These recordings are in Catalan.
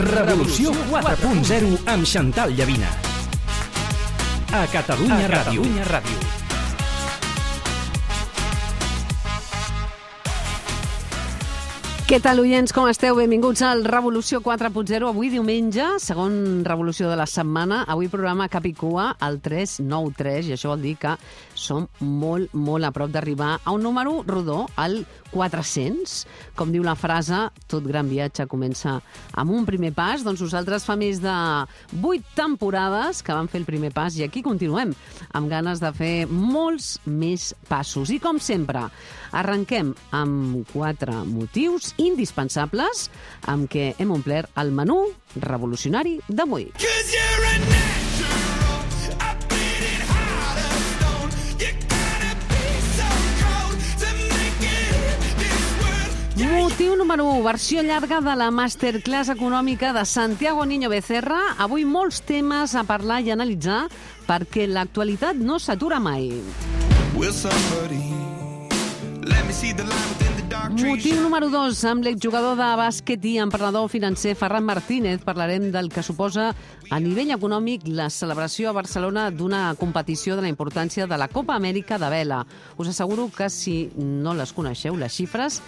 Revolució 4.0 amb Xantal Llavina. A Catalunya Ràdio. Què tal, oients? Com esteu? Benvinguts al Revolució 4.0. Avui diumenge, segon revolució de la setmana. Avui programa cap i cua, el 393, i això vol dir que som molt, molt a prop d'arribar a un número rodó, el 400. Com diu la frase, tot gran viatge comença amb un primer pas. Doncs nosaltres fa més de 8 temporades que vam fer el primer pas i aquí continuem, amb ganes de fer molts més passos. I com sempre, arrenquem amb 4 motius indispensables amb què hem omplert el menú revolucionari d'avui. Motiu número 1, versió llarga de la Masterclass econòmica de Santiago Niño Becerra. Avui molts temes a parlar i analitzar perquè l'actualitat no s'atura mai. Motiu número 2, amb l'exjugador de bàsquet i emprenedor financer Ferran Martínez parlarem del que suposa a nivell econòmic la celebració a Barcelona d'una competició de la importància de la Copa Amèrica de vela. Us asseguro que si no les coneixeu, les xifres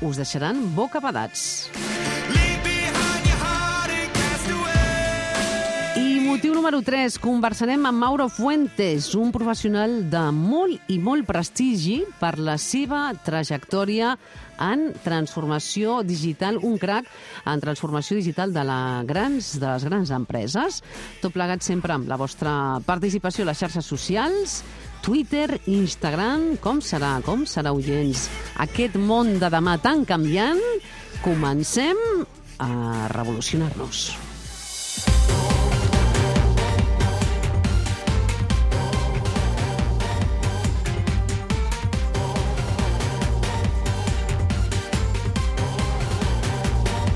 us deixaran bocabadats. I motiu número 3, conversarem amb Mauro Fuentes, un professional de molt i molt prestigi per la seva trajectòria en transformació digital, un crac en transformació digital de les grans empreses. Tot plegat sempre amb la vostra participació a les xarxes socials, Twitter, Instagram. Com serà, oients, aquest món de demà tan canviant? Comencem a revolucionar-nos.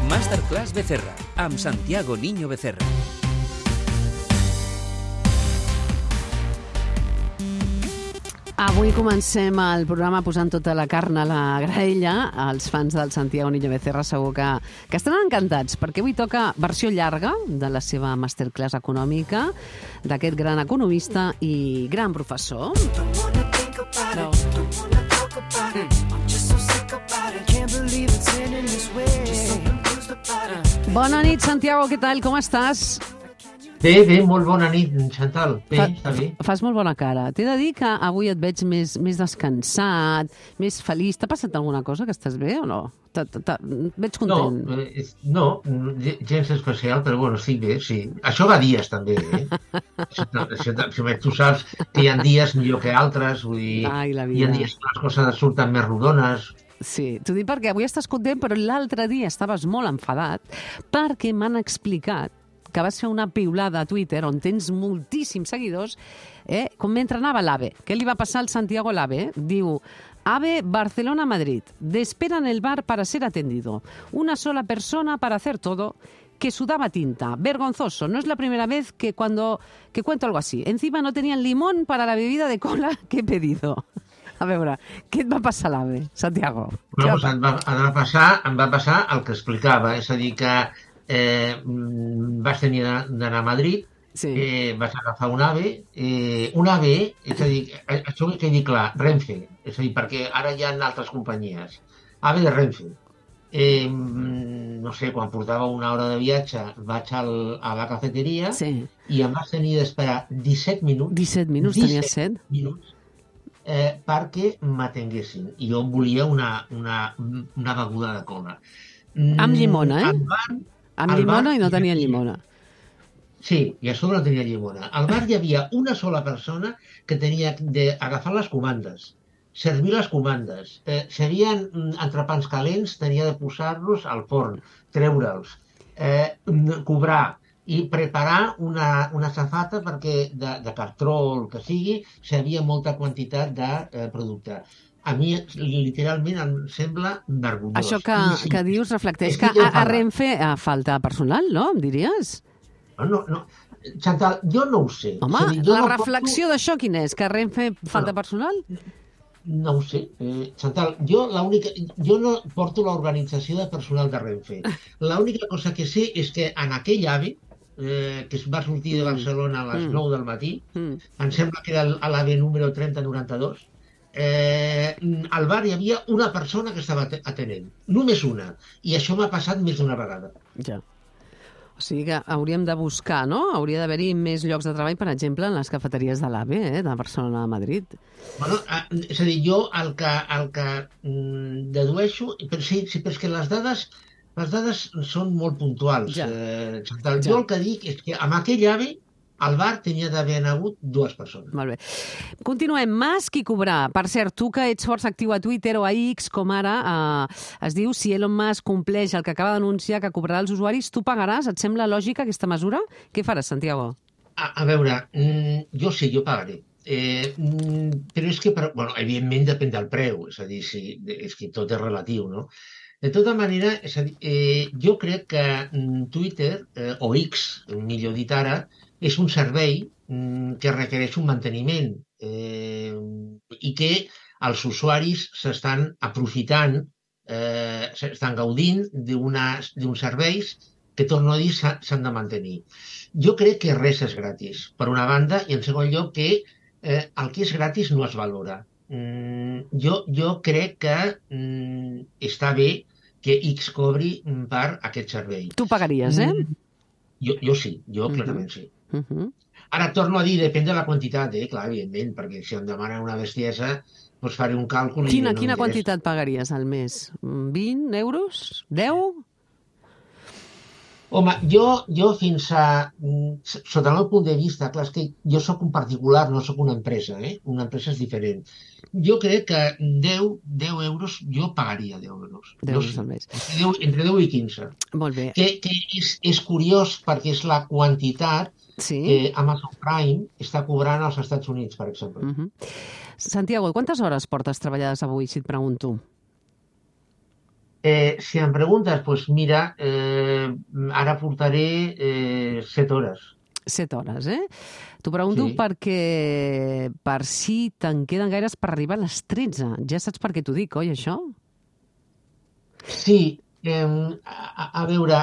Masterclass Becerra, amb Santiago Niño Becerra. Avui comencem el programa posant tota la carn a la graella. Els fans del Santiago Niño Becerra segur que estaran encantats, perquè avui toca versió llarga de la seva Masterclass econòmica, d'aquest gran economista i gran professor. Bona nit, Santiago, què tal? Com estàs? Bé, molt bona nit, Xantal. Bé, està bé. Fas molt bona cara. T'he de dir que avui et veig més descansat, més feliç. T'ha passat alguna cosa, que estàs bé o no? Veig content. No, gens especial, però bueno, estic bé, sí. Això va dies, també, eh? Tu saps que hi ha dies millor que altres, vull dir, hi ha dies que les coses surten més rodones. Sí, t'ho dic perquè avui estàs content, però l'altre dia estaves molt enfadat perquè m'han explicat que vas fer una piulada a Twitter on tens moltíssims seguidors, com mentre anava l'AVE. Què li va passar al Santiago l'AVE? Diu, AVE Barcelona-Madrid, de espera en el bar para ser atendido. Una sola persona para hacer todo, que sudaba tinta. Vergonzoso, no es la primera vez que cuento algo así. Encima no tenían limón para la bebida de cola que he pedido. A veure, què et va passar a l'AVE, Santiago? Em va passar el que explicava, és a dir, que vaig tenir d'anar a Madrid, sí. Vaig agafar un AVE, és a dir, això que he dit clar, Renfe, és a dir, perquè ara hi ha altres companyies, AVE de Renfe. No sé, quan portava una hora de viatge vaig a la cafeteria, sí. I em vaig tenir d'esperar 17 minuts. 17 minuts, tenies set? Minuts, perquè m'atenguessin. I jo volia una beguda de cola. Amb llimona, Amb llimona i no tenia llimona. Sí, i a sobre no tenia llimona. Al bar hi havia una sola persona que tenia d'agafar les comandes, servir les comandes. Si hi havia entrepans calents, tenia de posar-los al forn, treure'ls, cobrar i preparar una safata perquè de cartró o el que sigui, si hi havia molta quantitat de producte. A mi, literalment, em sembla vergonyós. Això que dius reflecteix que a Renfe falta personal, no? Em diries? No. Chantal, jo no ho sé. Home, És a dir, jo la no reflexió d'això quina és? Que a Renfe falta personal? No ho sé. Chantal, jo no porto l'organització de personal de Renfe. L'única cosa que sé és que en aquell AVE, que es va sortir de Barcelona a les 9 del matí, em sembla que era l'AVE número 3092, al bar hi havia una persona que estava atenent, només una, i això m'ha passat més d'una vegada. Ja. O sigui que hauríem de buscar, no? Hauria d'haver-hi més llocs de treball, per exemple, en les cafeteries de l'AVE, de Barcelona a Madrid. Bueno, és a dir, jo el que dedueixo, però sí, perquè les dades són molt puntuals. Ja. Chantal. Jo el que dic és que amb aquell AVE al bar tenia d'haver hagut 2 persones. Molt bé. Continuem. Musk i cobrar. Per cert, tu que ets força actiu a Twitter o a X, com ara, es diu si Elon Musk compleix el que acaba d'anunciar que cobrarà als usuaris, tu pagaràs? Et sembla lògica aquesta mesura? Què faràs, Santiago? A veure, jo sí, jo pagaré. Però és que, bueno, evidentment depèn del preu, és a dir, és que tot és relatiu, no? De tota manera, és a dir, jo crec que Twitter, o X, millor dit ara, és un servei que requereix un manteniment i que els usuaris s'estan aprofitant, s'estan gaudint d'uns serveis que, torno a dir, s'han de mantenir. Jo crec que res és gratis, per una banda, i en segon lloc que el que és gratis no es valora. Jo crec que està bé que X cobri per aquest servei. Tu pagaries, Jo sí, jo clarament sí. Ara torno a dir, depèn de la quantitat, clar, evidentment, perquè si em demanen una bestiesa, doncs faré un càlcul... Quina quantitat pagaries al mes? 20 euros? 10? Home, jo fins a... Sota el meu punt de vista, clar, és que jo sóc un particular, no sóc una empresa, Una empresa és diferent. Jo crec que 10 euros, jo pagaria 10 euros. 10 euros al mes. Entre 10 i 15. Molt bé. Que és curiós perquè és la quantitat que Amazon Prime està cobrant als Estats Units, per exemple. Santiago, quantes hores portes treballades avui, si et pregunto? Si em preguntes, doncs mira, ara portaré 7 hores. 7 hores, T'ho pregunto perquè per si te'n queden gaires per arribar a les 13. Ja saps per què t'ho dic, oi, això? Sí, a veure...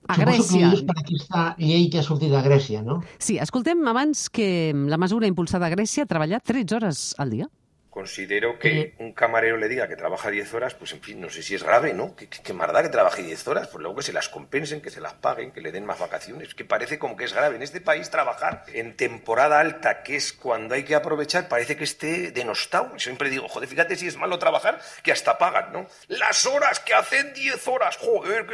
A Suposo Grècia. que ho dius per aquesta llei que ha sortit de Grècia, no? Sí, escoltem abans que la mesura impulsada a Grècia treballar 13 hores al dia. Considero que un camarero le diga que trabaja 10 horas, pues en fin, no sé si es grave, ¿no? ¿Qué más da que trabaje 10 horas? Pues luego que se las compensen, que se las paguen, que le den más vacaciones. Que parece como que es grave. En este país trabajar en temporada alta, que es cuando hay que aprovechar, parece que esté denostado. Y siempre digo, joder, fíjate si es malo trabajar, que hasta pagan, ¿no? Las horas que hacen 10 horas, joder,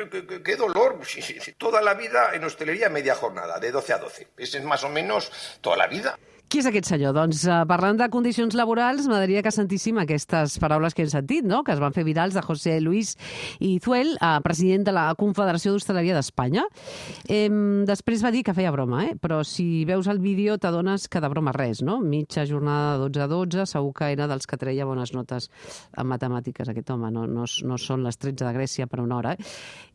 qué dolor. Sí. Toda la vida en hostelería media jornada, de 12 a 12. Ese es más o menos toda la vida. Qui és aquest senyor? Doncs parlant de condicions laborals, m'agradaria que sentíssim aquestes paraules que hem sentit, no?, que es van fer virals de José Luis Izuel, president de la Confederació d'Hostaleria d'Espanya. Després va dir que feia broma, però si veus el vídeo t'adones que de broma res, no? Mitja jornada de 12 a 12, segur que era dels que treia bones notes en matemàtiques, aquest home. No són les 13 de Grècia per una hora.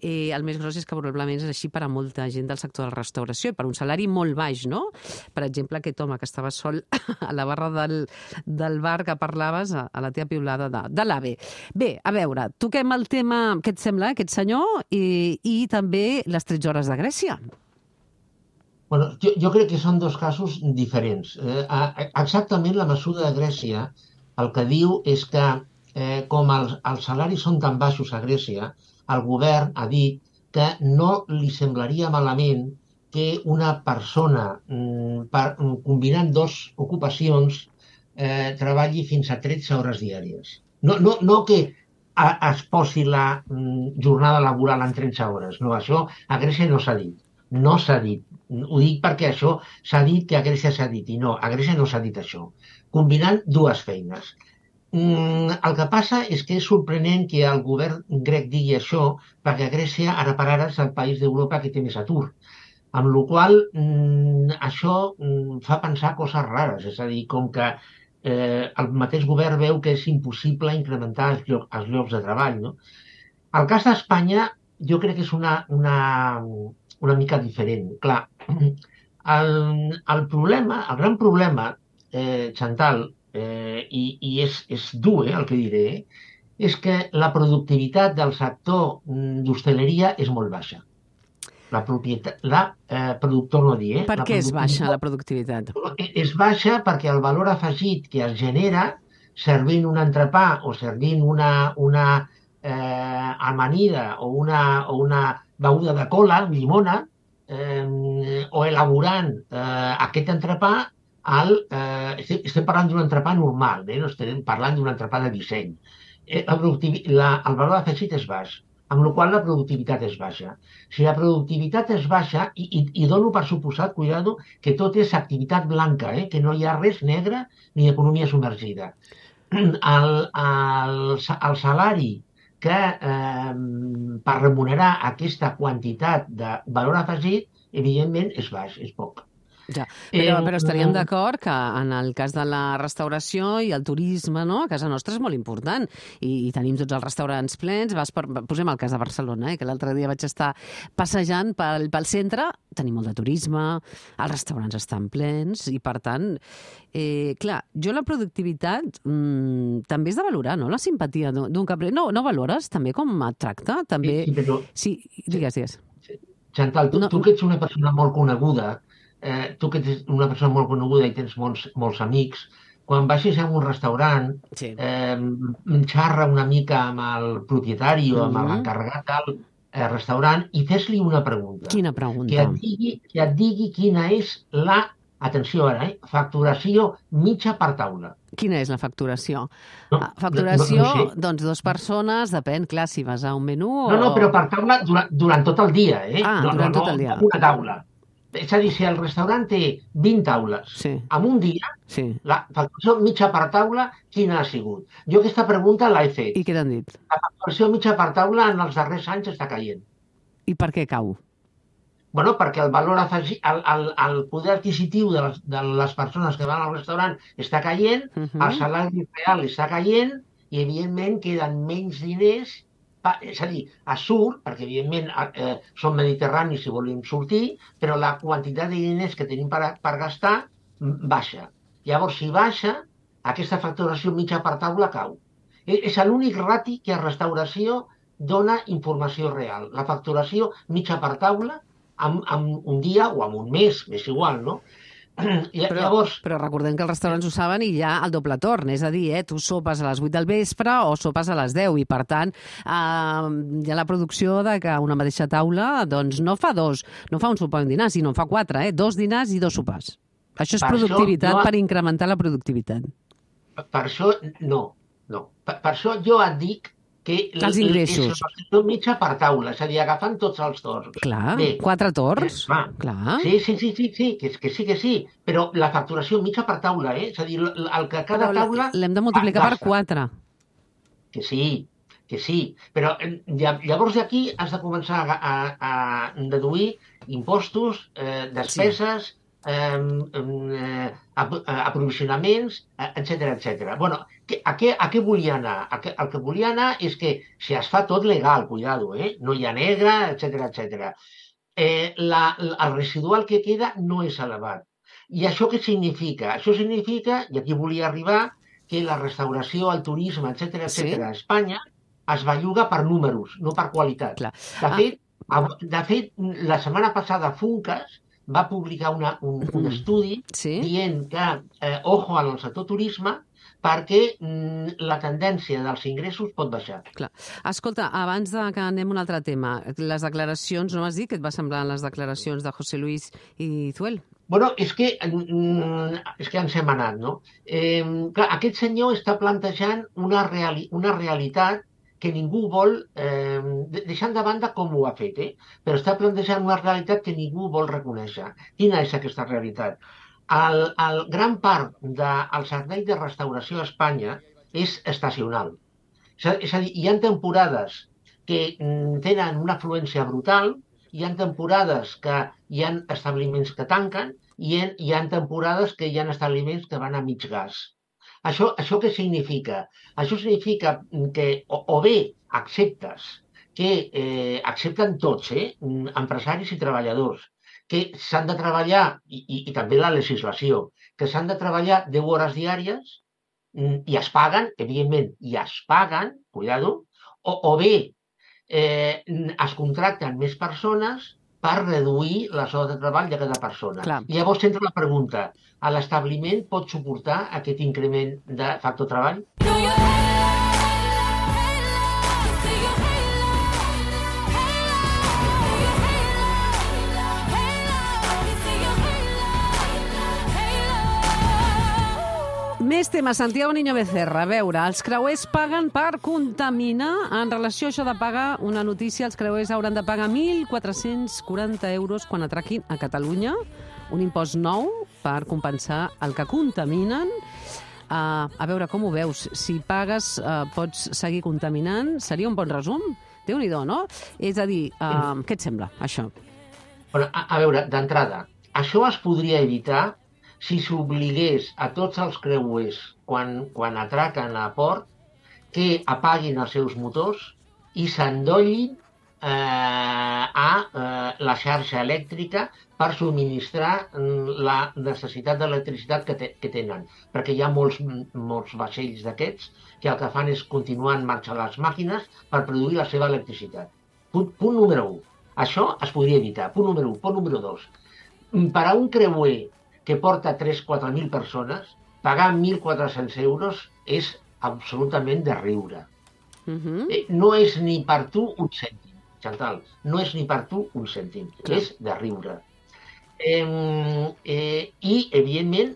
El més gros és que probablement és així per a molta gent del sector de la restauració i per un salari molt baix, no? Per exemple, aquest home que estava sol a la barra del bar que parlaves, a la teva piulada de l'AVE. Bé, a veure, toquem el tema, què et sembla, aquest senyor, i també les 13 hores de Grècia. Bueno, jo crec que són dos casos diferents. Exactament la mesura de Grècia el que diu és que com els salaris són tan baixos a Grècia, el govern ha dit que no li semblaria malament que una persona, combinant 2 ocupacions, treballi fins a 13 hores diàries. No que es posi la jornada laboral en 13 hores. No, això a Grècia no s'ha dit. No s'ha dit. Ho dic perquè això s'ha dit que a Grècia s'ha dit. I no, a Grècia no s'ha dit això. Combinant 2 feines. El que passa és que és sorprenent que el govern grec digui això perquè Grècia ara per ara és el país d'Europa que té més atur. Amb la qual això fa pensar coses rares, és a dir, com que el mateix govern veu que és impossible incrementar els llocs de treball, no? El cas d'Espanya jo crec que és una mica diferent. Clar, El problema, el gran problema, Chantal, i és dur el que diré, és que la productivitat del sector d'hostaleria és molt baixa. Productor no dir, Per què és baixa la productivitat? És baixa perquè el valor afegit que es genera servint un entrepà o servint una amanida o una beguda de cola, llimona, o elaborant aquest entrepà, estem parlant d'un entrepà normal, no estem parlant d'un entrepà de disseny. El valor afegit és baix, amb la qual la productivitat és baixa. Si la productivitat és baixa, i dono per suposat, cuidado, que tot és activitat blanca, que no hi ha res negre ni economia submergida. El salari que per remunerar aquesta quantitat de valor afegit, evidentment, és baix, és poc. Ja, però estaríem d'acord que en el cas de la restauració i el turisme, no? A casa nostra és molt important i tenim tots els restaurants plens. Posem el cas de Barcelona, que l'altre dia vaig estar passejant pel centre, tenim molt de turisme, els restaurants estan plens i, per tant, clar, jo la productivitat també és de valorar, no? La simpatia d'un cambrer. No valores també com et tracta? També... Sí, digues. Chantal, tu que ets una persona molt coneguda, tu que ets una persona molt coneguda i tens molts amics, quan vagis a un restaurant, xarra una mica amb el propietari o amb l'encarregat del restaurant i fes-li una pregunta. Quina pregunta? Que et digui quina és la, atenció ara, facturació mitja per taula. Quina és la facturació? Facturació, doncs, 2 persones, depèn, clar, si vas a un menú o... No, però per taula durant tot el dia, durant tot el dia. No una taula. És a dir, si el restaurant té 20 taules en un dia, la facturació mitja per taula, quina ha sigut? Jo aquesta pregunta l'he fet. I què t'han dit? La facturació mitja per taula en els darrers anys està caient. I per què cau? Bueno, perquè el valor afegit, el poder adquisitiu de les persones que van al restaurant està caient, el salari real està caient i, evidentment, queden menys diners. És a dir, surt, perquè evidentment som mediterranis i volem sortir, però la quantitat de diners que tenim per gastar baixa. Llavors, si baixa, aquesta facturació mitja per taula cau. És l'únic rati que a restauració dona informació real. La facturació mitja per taula en un dia o en un mes, és igual, no? Però recordem que els restaurants ho saben i hi ha el doble torn, és a dir, tu sopes a les 8 del vespre o sopes a les 10 i, per tant, hi ha la producció de que una mateixa taula doncs, no fa un sopar i un dinar, sinó en fa 4, 2 dinars i 2 sopars. Això és productivitat per incrementar la productivitat. Per això, no. Per això jo et dic que els ingressos. És mitja per taula, és a dir, agafant tots els torns. Clar, 4 torns. Clar. Sí, que sí, però la facturació mitja per taula, és a dir, el que cada taula... L'hem de multiplicar per 4. Que sí, però llavors d'aquí has de començar a deduir impostos, despeses, aprovisionaments, etc. Bueno, a què volia anar? El que volia anar és que si es fa tot legal, cuidado, no hi ha negre, etc. El residual que queda no és elevat. I això què significa? Això significa, i aquí volia arribar, que la restauració, el turisme, etc. a Espanya es belluga per números, no per qualitat. De fet, la setmana passada Funcas va publicar un estudi dient que ojo al sector turisme perquè la tendència dels ingressos pot baixar. Clar. Escolta, abans que anem a un altre tema, les declaracions, no m'has dit què et va semblar les declaracions de José Luis Izuel? Bueno, és que ens hem anat, no? Clar, aquest senyor està plantejant una realitat que ningú vol, deixant de banda com ho ha fet, però està plantejant una realitat que ningú vol reconèixer. Quina és aquesta realitat? El gran part del servei de restauració a Espanya és estacional. És a dir, hi ha temporades que tenen una afluència brutal, hi ha temporades que hi ha establiments que tanquen i hi ha temporades que hi ha establiments que van a mig gas. Això què significa? Això significa que o bé accepten tots, empresaris i treballadors, que s'han de treballar, i també la legislació, que s'han de treballar 10 hores diàries i es paguen, evidentment, i es paguen, cuidado, o bé es contracten més persones per reduir les hores de treball de cada persona. Clar. I llavors entra la pregunta, l'establiment pot suportar aquest increment de factor treball? Més temes. Santiago Niño Becerra. A veure, els creuers paguen per contaminar. En relació a això de pagar, una notícia, els creuers hauran de pagar 1.440 euros quan atraquin a Catalunya. Un impost nou per compensar el que contaminen. A veure, com ho veus? Si pagues, pots seguir contaminant? Seria un bon resum? Déu-n'hi-do, no? És a dir, què et sembla, això? Bueno, a veure, d'entrada, això es podria evitar si s'obligués a tots els creuers quan atraquen a port que apaguin els seus motors i s'endollin a la xarxa elèctrica per subministrar la necessitat d'electricitat que tenen. Perquè hi ha molts vaixells d'aquests que el que fan és continuar en marxa les màquines per produir la seva electricitat. Punt número 1. Això es podria evitar. Punt número 1. Punt número 2. Per a un creuer que porta 3.000-4.000 persones, pagar 1.400 euros és absolutament de riure. No és ni per tu un cèntim, Chantal, no és ni per tu un cèntim, és de riure. I, evidentment,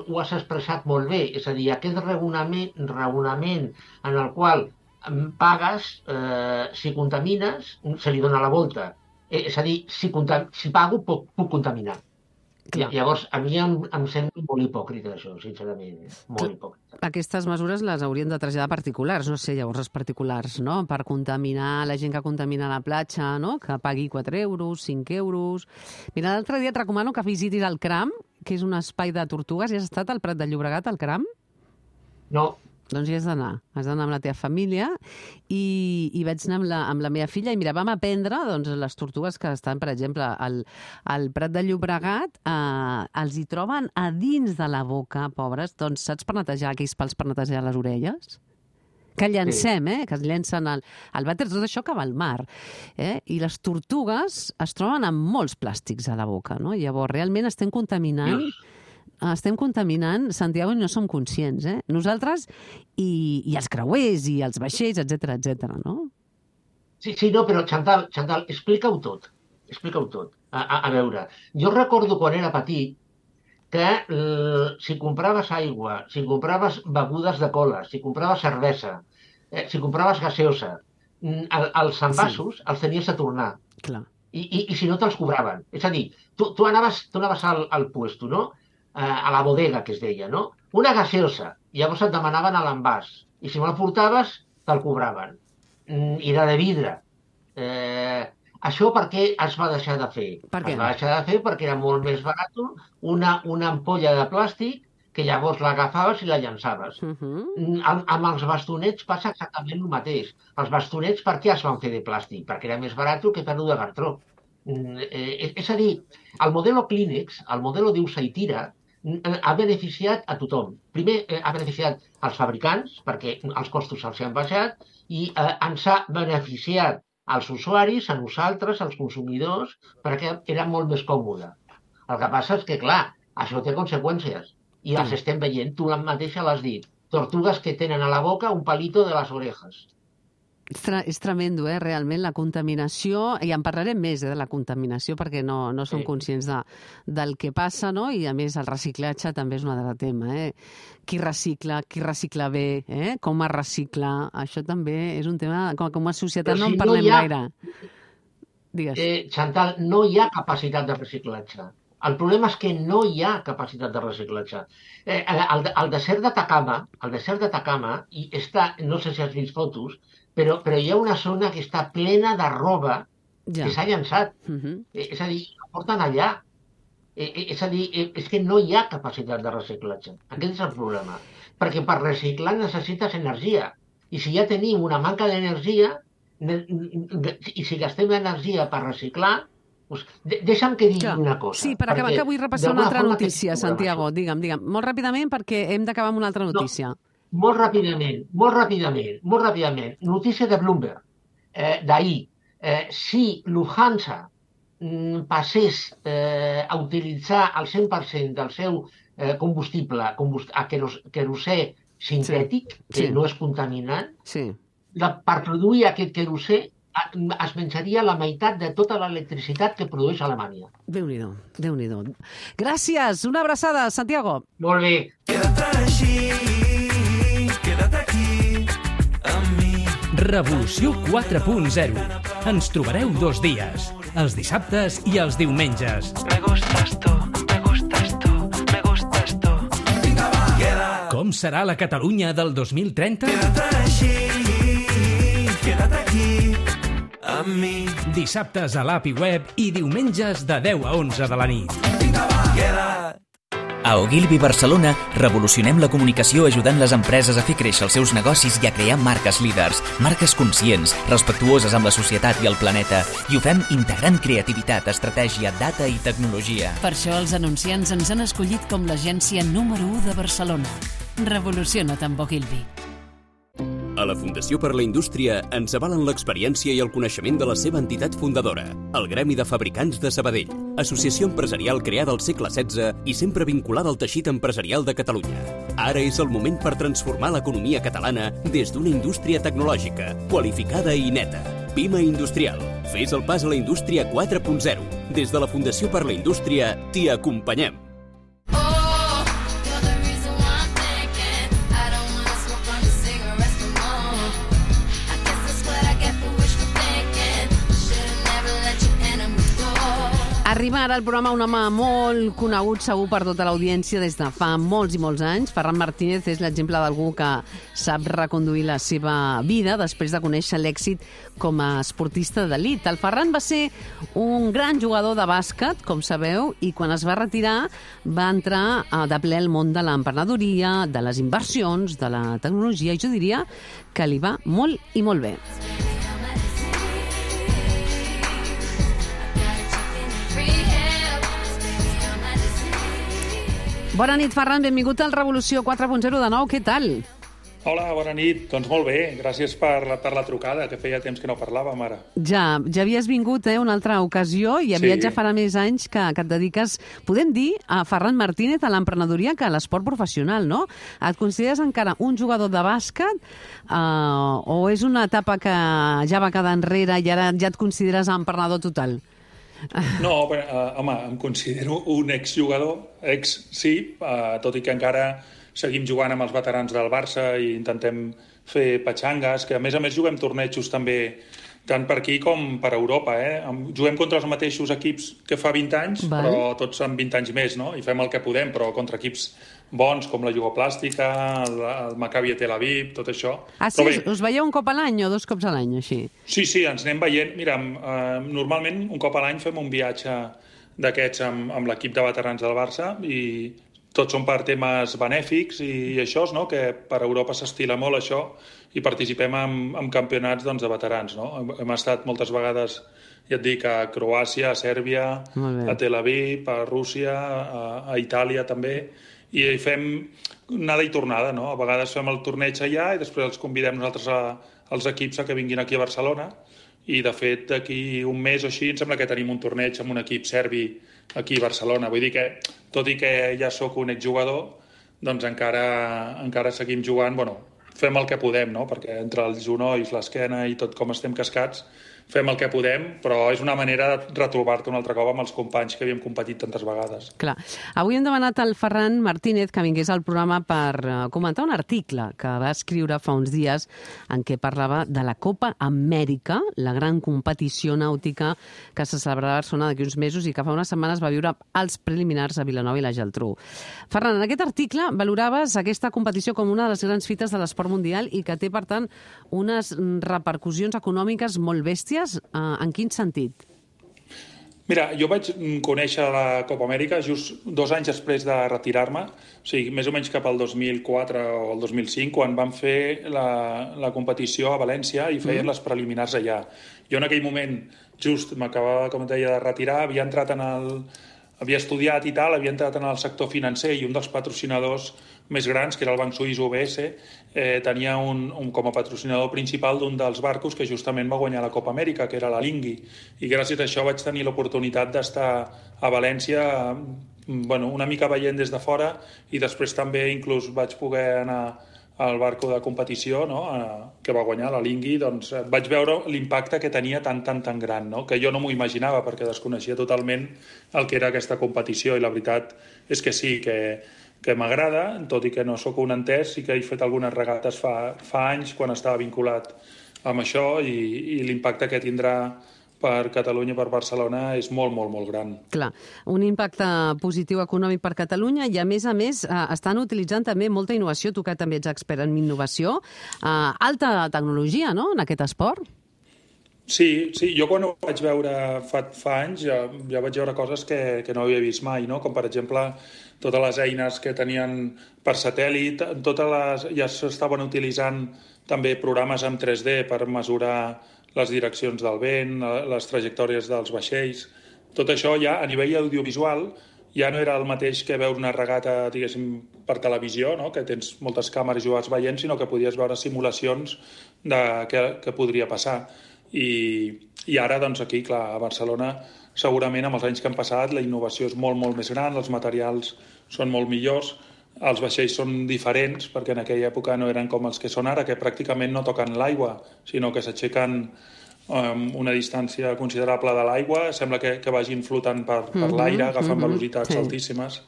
ho has expressat molt bé, és a dir, aquest raonament en el qual pagues, si contamines, se li dona la volta. És a dir, si pago, puc contaminar. Llavors, a mi em sembla molt hipòcrita això, sincerament, molt hipòcrita. Aquestes mesures les haurien de traslladar particulars, no sé, llavors els particulars, no? Per contaminar la gent que contamina a la platja, no? Que pagui 4 euros, 5 euros... Mira, l'altre dia et recomano que visitis el CRAM, que és un espai de tortugues. Hi has estat al Prat de Llobregat, al CRAM? No. Doncs hi has d'anar amb la teva família i vaig anar amb la meva filla i mira, vam aprendre les tortugues que estan, per exemple, al Prat de Llobregat, els hi troben a dins de la boca, pobres, doncs saps per netejar aquells pals per netejar les orelles? Que llancem, que es llencen al vàter, tot això que va al mar. I les tortugues es troben amb molts plàstics a la boca, no? Llavors, realment estem contaminant... Santiago, i no som conscients, nosaltres i els creuers i els vaixells, etc, no? Sí, no, però Chantal, explica-ho tot. A veure, jo recordo quan era petit que si compraves aigua, si compraves begudes de cola, si compraves cervesa, si compraves gaseosa, els envasos els tenies a tornar. Clar. I si no te'ls cobraven. És a dir, tu anaves al puesto, no? A la bodega, que es deia, no? Una gaseosa. Llavors et demanaven a l'envàs. I si no la portaves, te'l cobraven. I era de vidre. Això per què es va deixar de fer? Per què? Es va deixar de fer perquè era molt més barat una ampolla de plàstic que llavors l'agafaves i la llançaves. Amb els bastonets passa exactament el mateix. Els bastonets per què es van fer de plàstic? Perquè era més barat que fer-ho de cartró. És a dir, el modelo Kleenex, el modelo d'usa i tira, ha beneficiat a tothom. Primer, ha beneficiat als fabricants, perquè els costos se'ls han baixat, i ens ha beneficiat als usuaris, a nosaltres, als consumidors, perquè era molt més còmode. El que passa és que, clar, això té conseqüències, i les estem veient, tu mateixa l'has dit. Tortugues que tenen a la boca un palito de les orejas. És tremendo, realment, la contaminació, i en parlarem més de la contaminació perquè no som conscients del que passa, no? I a més el reciclatge també és un altre tema. Qui recicla bé, com es recicla, això també és un tema, com a societat no en parlem gaire. Digues. Chantal, no hi ha capacitat de reciclatge. El problema és que no hi ha capacitat de reciclatge. El desert d'Atacama, i no sé si has vist fotos, però hi ha una zona que està plena de roba que s'ha llançat. És a dir, la porten allà. És a dir, és que no hi ha capacitat de reciclatge. Aquest és el problema. Perquè per reciclar necessites energia. I si ja tenim una manca d'energia, i si gastem energia per reciclar, Deixa'm que digui una cosa. Sí, per acabar, que vull repassar una altra notícia, Santiago. Digue'm. Molt ràpidament, perquè hem d'acabar amb una altra notícia. Molt ràpidament. Notícia de Bloomberg, d'ahir. Si Lufthansa passés a utilitzar el 100% del seu combustible a querosè sintètic, que no és contaminant, per produir aquest querosè es menjaria la meitat de tota l'electricitat que produeix Alemanya. Déu-n'hi-do. Gràcies, una abraçada, Santiago. Molt bé. Quédate aquí amb mi. Revolució 4.0. Ens trobareu 2 dies, els dissabtes i els diumenges. Me gustas tú. Com serà la Catalunya del 2030? Quédate aquí amb mi. Dissabtes a l'app i web i diumenges de 10 a 11 de la nit. A Ogilvy Barcelona revolucionem la comunicació ajudant les empreses a fer créixer els seus negocis i a crear marques líders, marques conscients, respectuoses amb la societat i el planeta. I ho fem integrant creativitat, estratègia, data i tecnologia. Per això els anunciants ens han escollit com l'agència número 1 de Barcelona. Revoluciona't amb Ogilvy. A la Fundació per la Indústria ens avalen l'experiència i el coneixement de la seva entitat fundadora, el Gremi de Fabricants de Sabadell, associació empresarial creada al segle XVI i sempre vinculada al teixit empresarial de Catalunya. Ara és el moment per transformar l'economia catalana des d'una indústria tecnològica, qualificada i neta. Pima Industrial. Fes el pas a la indústria 4.0. Des de la Fundació per la Indústria t'hi acompanyem. Arriba ara al programa un home molt conegut segur per tota l'audiència des de fa molts i molts anys. Ferran Martínez és l'exemple d'algú que sap reconduir la seva vida després de conèixer l'èxit com a esportista d'elit. El Ferran va ser un gran jugador de bàsquet, com sabeu, i quan es va retirar va entrar de ple al món de l'emprenedoria, de les inversions, de la tecnologia, i jo diria que li va molt i molt bé. Bona nit, Ferran. Benvingut al Revolució 4.0 de nou. Què tal? Hola, bona nit. Doncs molt bé. Gràcies per la trucada, que feia temps que no parlàvem ara. Ja havies vingut una altra ocasió i aviat ja farà més anys que et dediques, podem dir, a Ferran Martínez, a l'emprenedoria, que a l'esport professional, no? Et consideres encara un jugador de bàsquet o és una etapa que ja va quedar enrere i ara ja et consideres emprenedor total? No, home, em considero un exjugador, sí, tot i que encara seguim jugant amb els veterans del Barça i intentem fer patxangues, que a més juguem tornejos també tant per aquí com per Europa. Juguem contra els mateixos equips que fa 20 anys, però tots amb 20 anys més, no? I fem el que podem, però contra equips bons com la Jugoplàstica, el Maccabi Tel Aviv, tot això. Ah, sí? Us veieu un cop a l'any o 2 cops a l'any, així? Sí, ens anem veient. Mira, normalment un cop a l'any fem un viatge d'aquests amb l'equip de veterans del Barça i tots són per temes benèfics i això, no? Que per Europa s'estila molt això i participem en campionats de veterans, no? Hem estat moltes vegades, ja et dic, a Croàcia, a Sèrbia, a Tel Aviv, a Rússia, a Itàlia també, i fem anada i tornada, no? A vegades fem el torneig allà i després els convidem nosaltres als equips a que vinguin aquí a Barcelona i, de fet, d'aquí un mes o així em sembla que tenim un torneig amb un equip serbi aquí a Barcelona. Vull dir que, tot i que ja sóc un exjugador, doncs encara seguim jugant, fem el que podem, no? Perquè entre els genolls, l'esquena i tot com estem cascats, fem el que podem, però és una manera de retrobar-te un altre cop amb els companys que havíem competit tantes vegades. Clar. Avui hem demanat al Ferran Martínez que vingués al programa per comentar un article que va escriure fa uns dies en què parlava de la Copa Amèrica, la gran competició nàutica que se celebrarà a Barcelona d'aquí uns mesos i que fa unes setmanes va viure els preliminars a Vilanova i la Geltrú. Ferran, en aquest article valoraves aquesta competició com una de les grans fites de l'esport mundial i que té, per tant, unes repercussions econòmiques molt bèsties. En quin sentit? Mira, jo vaig conèixer la Copa Amèrica just 2 anys després de retirar-me, o sigui, més o menys cap al 2004 o el 2005, quan van fer la competició a València i feien les preliminars allà. Jo en aquell moment, just m'acabava, com et deia, de retirar, havia estudiat i tal, havia entrat en el sector financer i un dels patrocinadors més grans, que era el banc suís UBS, tenia com a patrocinador principal d'un dels barcos que justament va guanyar la Copa Amèrica, que era la Lingui. I gràcies a això vaig tenir l'oportunitat d'estar a València, una mica veient des de fora, i després també inclús vaig poder anar al barco de competició, no? Que va guanyar la Lingui, doncs vaig veure l'impacte que tenia tan gran, no? Que jo no m'ho imaginava perquè desconeixia totalment el que era aquesta competició, i la veritat és que sí, que m'agrada, tot i que no sóc un entès, sí que he fet algunes regates fa anys quan estava vinculat amb això, i l'impacte que tindrà per Catalunya, per Barcelona, és molt, molt, molt gran. Clar, un impacte positiu econòmic per Catalunya i, a més, estan utilitzant també molta innovació, tu que també ets expert en innovació, alta tecnologia, no?, en aquest esport? Sí, jo quan ho vaig veure fa anys ja vaig veure coses que no havia vist mai, no? Com per exemple totes les eines que tenien per satèl·lit, ja s'estaven utilitzant també programes en 3D per mesurar les direccions del vent, les trajectòries dels vaixells. Tot això ja a nivell audiovisual ja no era el mateix que veure una regata, diguéssim, per televisió, no? Que tens moltes càmeres i ho vas veient, sinó que podies veure simulacions de què podria passar. I ara, doncs, aquí, clar, a Barcelona, segurament amb els anys que han passat, la innovació és molt, molt més gran, els materials són molt millors, els vaixells són diferents, perquè en aquella època no eren com els que són ara, que pràcticament no toquen l'aigua, sinó que s'aixequen una distància considerable de l'aigua, sembla que vagin flotant per l'aire, agafant velocitats altíssimes.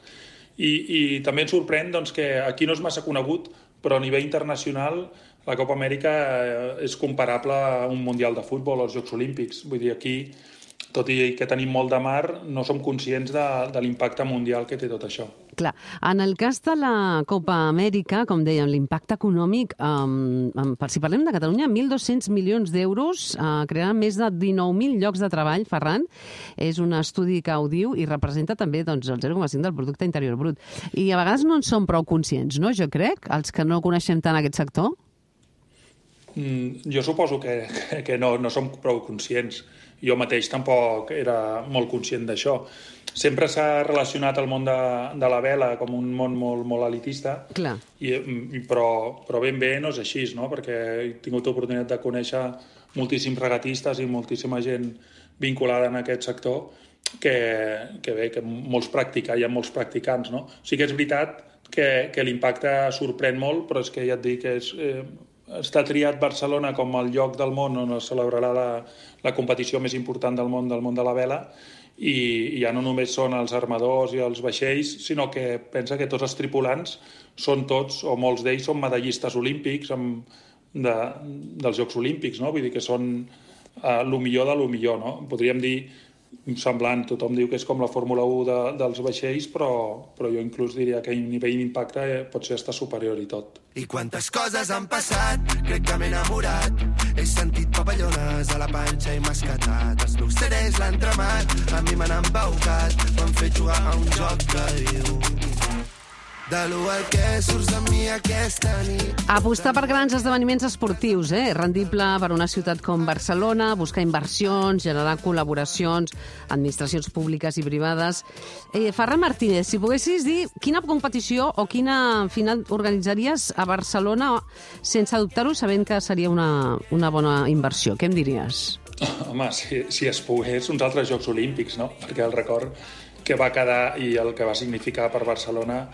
I també ens sorprèn doncs, que aquí no és massa conegut, però a nivell internacional la Copa Amèrica és comparable a un Mundial de Futbol o als Jocs Olímpics. Vull dir, aquí, tot i que tenim molt de mar, no som conscients de l'impacte mundial que té tot això. Clar, en el cas de la Copa Amèrica, com dèiem, l'impacte econòmic, si parlem de Catalunya, 1.200 milions d'euros, crearan més de 19.000 llocs de treball, Ferran. És un estudi que ho diu i representa també doncs, el 0,5 del producte interior brut. I a vegades no en som prou conscients, no? Jo crec, els que no coneixem tant aquest sector. Jo suposo que no som prou conscients. Jo mateix tampoc era molt conscient d'això. Sempre s'ha relacionat el món de la vela com un món molt, molt elitista, però ben bé no és així, no? Perquè he tingut l'oportunitat de conèixer moltíssims regatistes i moltíssima gent vinculada en aquest sector que molts hi ha molts practicants, no? Sí que és veritat que l'impacte sorprèn molt, però és que ja et dic que està triat Barcelona com el lloc del món on es celebrarà la competició més important del món de la vela, i ja no només són els armadors i els vaixells, sinó que pensa que tots els tripulants són tots, o molts d'ells són medallistes olímpics dels Jocs Olímpics, no? Vull dir que són el millor de lo millor, no? Podríem dir semblant, tothom diu que és com la Fórmula 1 dels vaixells, però jo inclús diria que a nivell d'impacte pot ser hasta superior i tot. I quantes coses han passat, crec que m'he enamorat. He sentit papallones a la panxa i m'ha escatat. Els meus CDs l'han tremat, a mi m'han embaucat. M'han fet jugar a un joc que diu de l'u que surts de mi aquesta nit. Apostar per grans esdeveniments esportius, rendible per una ciutat com Barcelona, buscar inversions, generar col·laboracions, administracions públiques i privades. Ferran Martínez, si poguessis dir quina competició o quina final organitzaries a Barcelona sense dubtar-ho, sabent que seria una bona inversió, què em diries? Home, si es pogués, uns altres Jocs Olímpics, no? Perquè el record que va quedar i el que va significar per Barcelona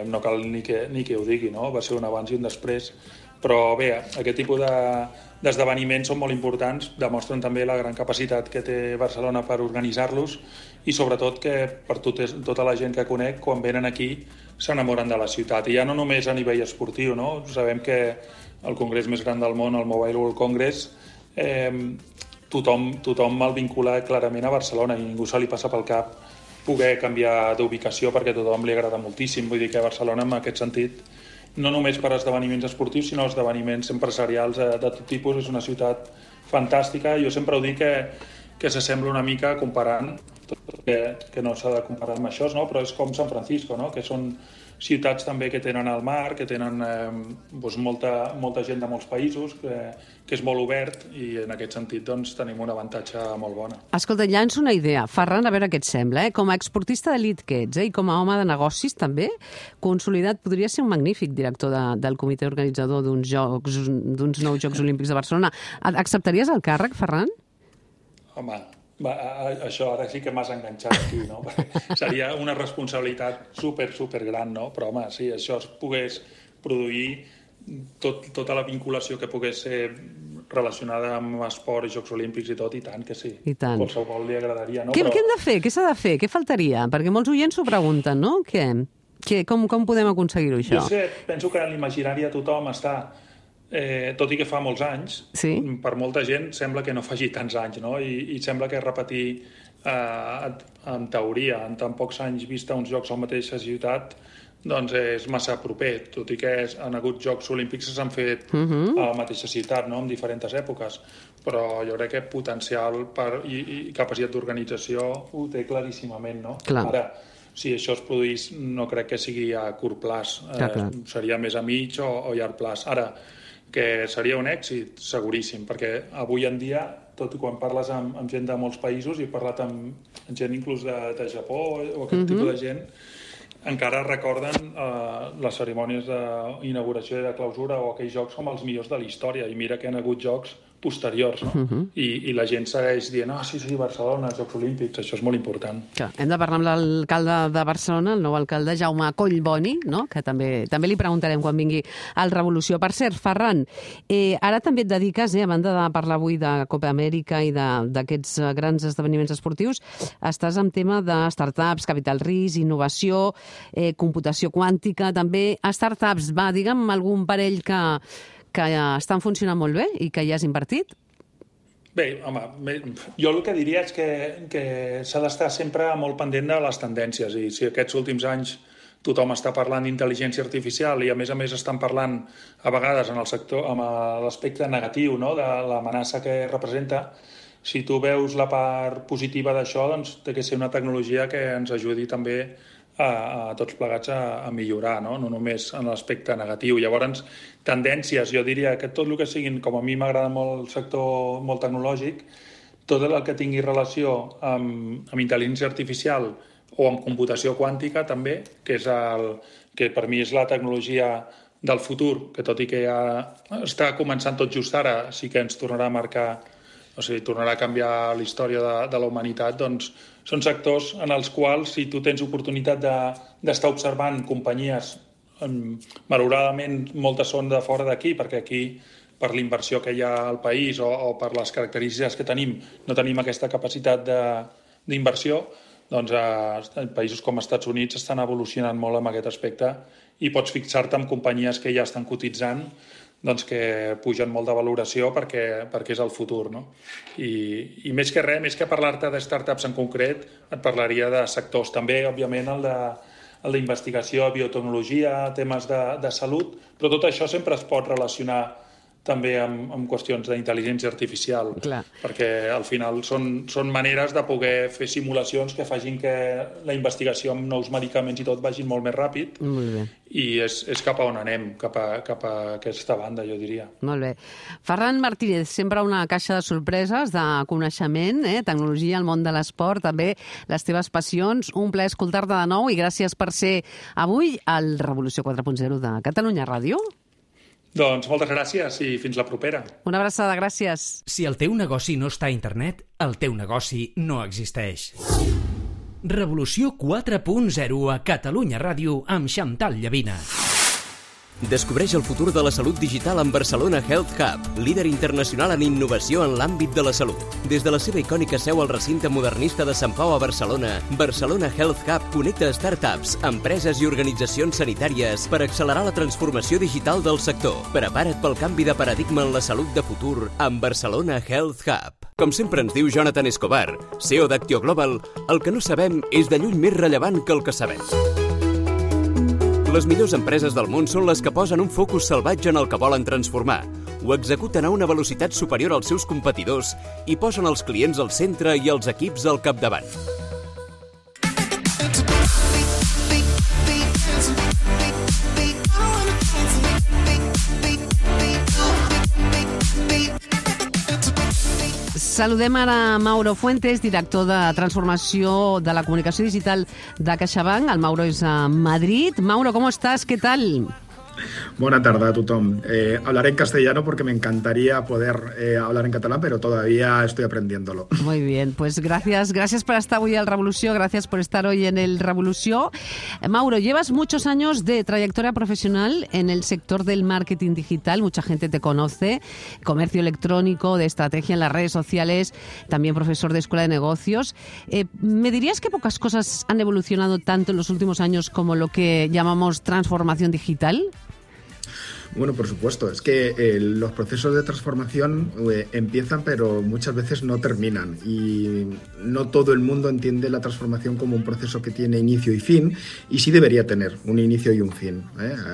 no cal ni que ho digui, no? Va ser un abans i un després. Però bé, aquest tipus d'esdeveniments són molt importants, demostren també la gran capacitat que té Barcelona per organitzar-los i sobretot que per tota la gent que conec, quan venen aquí, s'enamoren de la ciutat. I ja no només a nivell esportiu, no? Sabem que el congrés més gran del món, el Mobile World Congress, tothom el vincula clarament a Barcelona i ningú se li passa pel cap poder canviar d'ubicació perquè a tothom li agrada moltíssim. Vull dir que Barcelona, en aquest sentit, no només per esdeveniments esportius, sinó esdeveniments empresarials de tot tipus, és una ciutat fantàstica. Jo sempre ho dic que s'assembla una mica comparant, que no s'ha de comparar amb això, no? Però és com San Francisco, no? Que són ciutats també que tenen el mar, que tenen molta gent de molts països, que és molt obert i en aquest sentit doncs, tenim un avantatge molt bona. Escolta, llanço una idea. Ferran, a veure què et sembla. Com a exportista d'elit que ets i com a home de negocis també, consolidat, podria ser un magnífic director del comitè organitzador d'uns nous Jocs Olímpics de Barcelona. Acceptaries el càrrec, Ferran? Home, això ara sí que m'has enganxat aquí, no? Perquè seria una responsabilitat super gran, no? Però, home, si això es pogués produir tota la vinculació que pogués ser relacionada amb esport i Jocs Olímpics i tot, i tant que sí. I tant. Qualsevol li agradaria, no? Què hem de fer? Què s'ha de fer? Què faltaria? Perquè molts oients s'ho pregunten, no? Com podem aconseguir-ho, això? Jo penso que en l'imaginari de tothom està... tot i que fa molts anys, per molta gent sembla que no faci tants anys, no? I sembla que repetir en teoria, en tan pocs anys vista uns jocs a la mateixa ciutat, doncs és massa proper, tot i que han hagut Jocs Olímpics que s'han fet a la mateixa ciutat, no? En diferents èpoques, però jo crec que potencial i capacitat d'organització ho té claríssimament, no? Clar. Ara, si això es produís, no crec que sigui a curt plaç, seria més a mig o llarg plaç. Ara, que seria un èxit, seguríssim, perquè avui en dia, tot i quan parles amb gent de molts països, i he parlat amb gent inclús de Japó o aquest tipus de gent, encara recorden les cerimònies d'inauguració i de clausura o aquells jocs com els millors de la història, i mira que han hagut jocs posteriors, no? I la gent segueix dient, sí, Barcelona, Jocs Olímpics, això és molt important. Clar, hem de parlar amb l'alcalde de Barcelona, el nou alcalde Jaume Collboni, no? Que també li preguntarem quan vingui al Revolució. Per cert, Ferran, ara també et dediques, a banda de parlar avui de Copa Amèrica i d'aquests grans esdeveniments esportius, estàs en tema de startups, capital risc, innovació, computació quàntica, també startups. Va, digue'm algun parell que estan funcionant molt bé i que ja has invertit? Bé, home, jo el que diria és que s'ha d'estar sempre molt pendent de les tendències, i si aquests últims anys tothom està parlant d'intel·ligència artificial i a més estan parlant a vegades en el sector amb l'aspecte negatiu, no?, de l'amenaça que representa, si tu veus la part positiva d'això, doncs té que ser una tecnologia que ens ajudi també a tots plegats a millorar, no només en l'aspecte negatiu. Llavors, tendències, jo diria que tot el que siguin, com a mi m'agrada molt el sector molt tecnològic, tot el que tingui relació amb intel·ligència artificial o amb computació quàntica també, que per mi és la tecnologia del futur, que tot i que ja està començant tot just ara, sí que ens tornarà a marcar, o sigui, tornarà a canviar la història de la humanitat, doncs són sectors en els quals, si tu tens oportunitat d'estar observant companyies, malauradament moltes són de fora d'aquí, perquè aquí, per l'inversió que hi ha al país o per les característiques que tenim, no tenim aquesta capacitat d'inversió, doncs països com els Estats Units estan evolucionant molt en aquest aspecte i pots fixar-te en companyies que ja estan cotitzant, doncs que pugen molt de valoració perquè és el futur, no? I més que res, més que parlar-te de startups en concret, et parlaria de sectors també, òbviament, el d'investigació, biotecnologia, temes de salut, però tot això sempre es pot relacionar també amb qüestions d'intel·ligència artificial. Clar. Perquè al final són maneres de poder fer simulacions que facin que la investigació amb nous medicaments i tot vagin molt més ràpid. Molt bé. I és cap a on anem, cap a aquesta banda, jo diria. Molt bé. Ferran Martínez, sempre una caixa de sorpreses, de coneixement, tecnologia, el món de l'esport, també les teves passions. Un plaer escoltar-te de nou i gràcies per ser avui al Revolució 4.0 de Catalunya Ràdio. Doncs moltes gràcies i fins la propera. Una abraçada, gràcies. Si el teu negoci no està a internet, el teu negoci no existeix. Revolució 4.0 a Catalunya Ràdio amb Xantal Llavina. Descobreix el futur de la salut digital amb Barcelona Health Hub, líder internacional en innovació en l'àmbit de la salut. Des de la seva icònica seu al recinte modernista de Sant Pau a Barcelona, Barcelona Health Hub connecta startups, empreses i organitzacions sanitàries per accelerar la transformació digital del sector. Prepara't pel canvi de paradigma en la salut de futur amb Barcelona Health Hub. Com sempre ens diu Jonathan Escobar, CEO d'Actio Global, el que no sabem és de lluny més rellevant que el que sabem. Les millors empreses del món són les que posen un focus salvatge en el que volen transformar. ho executen a una velocitat superior als seus competidors i posen els clients al centre i els equips al capdavant. Saludem ara Mauro Fuentes, director de transformació de la comunicació digital de CaixaBank. El Mauro és a Madrid. Mauro, ¿cómo estás? ¿Qué tal? Buena tarde a tothom. Hablaré en castellano porque me encantaría poder hablar en catalán, pero todavía estoy aprendiéndolo. Muy bien, pues gracias por estar hoy al Revolució, gracias por estar hoy en el Revolució. Mauro, llevas muchos años de trayectoria profesional en el sector del marketing digital, mucha gente te conoce, comercio electrónico, de estrategia en las redes sociales, también profesor de escuela de negocios. ¿Me dirías que pocas cosas han evolucionado tanto en los últimos años como lo que llamamos transformación digital? Bueno, por supuesto. Es que los procesos de transformación empiezan, pero muchas veces no terminan. Y no todo el mundo entiende la transformación como un proceso que tiene inicio y fin, y sí debería tener un inicio y un fin.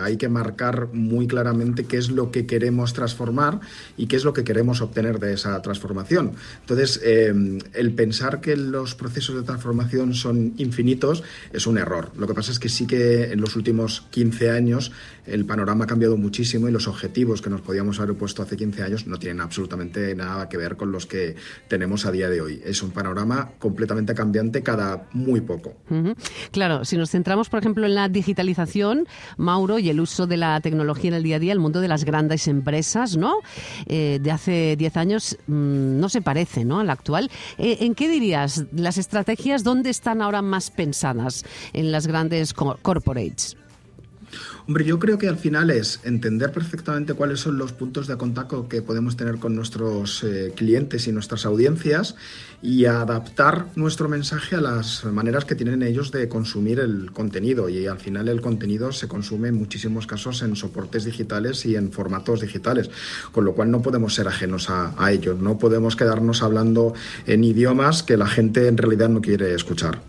Hay que marcar muy claramente qué es lo que queremos transformar y qué es lo que queremos obtener de esa transformación. Entonces, el pensar que los procesos de transformación son infinitos es un error. Lo que pasa es que sí que en los últimos 15 años el panorama ha cambiado muchísimo y los objetivos que nos podíamos haber puesto hace 15 años no tienen absolutamente nada que ver con los que tenemos a día de hoy. Es un panorama completamente cambiante cada muy poco. Claro, si nos centramos, por ejemplo, en la digitalización, Mauro, y el uso de la tecnología en el día a día, el mundo de las grandes empresas, ¿no? De hace 10 años no se parece, ¿no?, al actual. ¿En qué dirías las estrategias, dónde están ahora más pensadas en las grandes corporates? Hombre, yo creo que al final es entender perfectamente cuáles son los puntos de contacto que podemos tener con nuestros clientes y nuestras audiencias y adaptar nuestro mensaje a las maneras que tienen ellos de consumir el contenido. Y al final el contenido se consume en muchísimos casos en soportes digitales y en formatos digitales, con lo cual no podemos ser ajenos a ellos. No podemos quedarnos hablando en idiomas que la gente en realidad no quiere escuchar.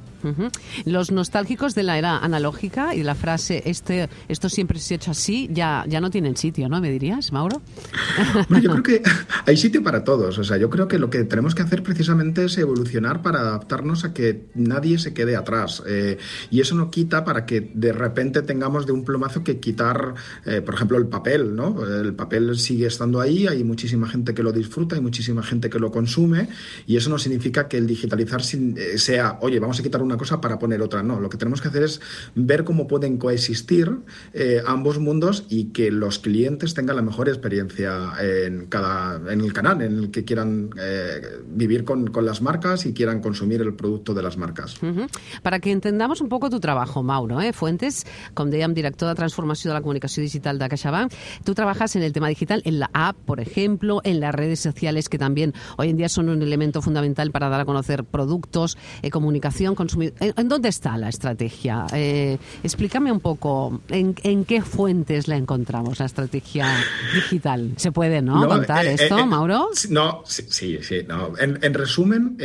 Los nostálgicos de la era analógica y la frase esto siempre se ha hecho así ya no tienen sitio, ¿no? ¿Me dirías, Mauro? Bueno, yo creo que hay sitio para todos. O sea, yo creo que lo que tenemos que hacer precisamente es evolucionar para adaptarnos a que nadie se quede atrás. Y eso no quita para que de repente tengamos de un plumazo que quitar, por ejemplo, el papel, ¿no? El papel sigue estando ahí, hay muchísima gente que lo disfruta, hay muchísima gente que lo consume, y eso no significa que el digitalizar sea, oye, vamos a quitar una cosa para poner otra. No, lo que tenemos que hacer es ver cómo pueden coexistir ambos mundos y que los clientes tengan la mejor experiencia en el canal en el que quieran vivir con las marcas y quieran consumir el producto de las marcas. Para que entendamos un poco tu trabajo, Mauro, Fuentes, com dèiem, director de transformació de la comunicació digital de CaixaBank, tú trabajas en el tema digital, en la app, por ejemplo, en las redes sociales, que también hoy en día son un elemento fundamental para dar a conocer productos, comunicación, consumidor. ¿En dónde está la estrategia? Explícame un poco, ¿en qué fuentes la encontramos, la estrategia digital? ¿Se puede, no contar esto, Mauro? No, sí. No. En resumen,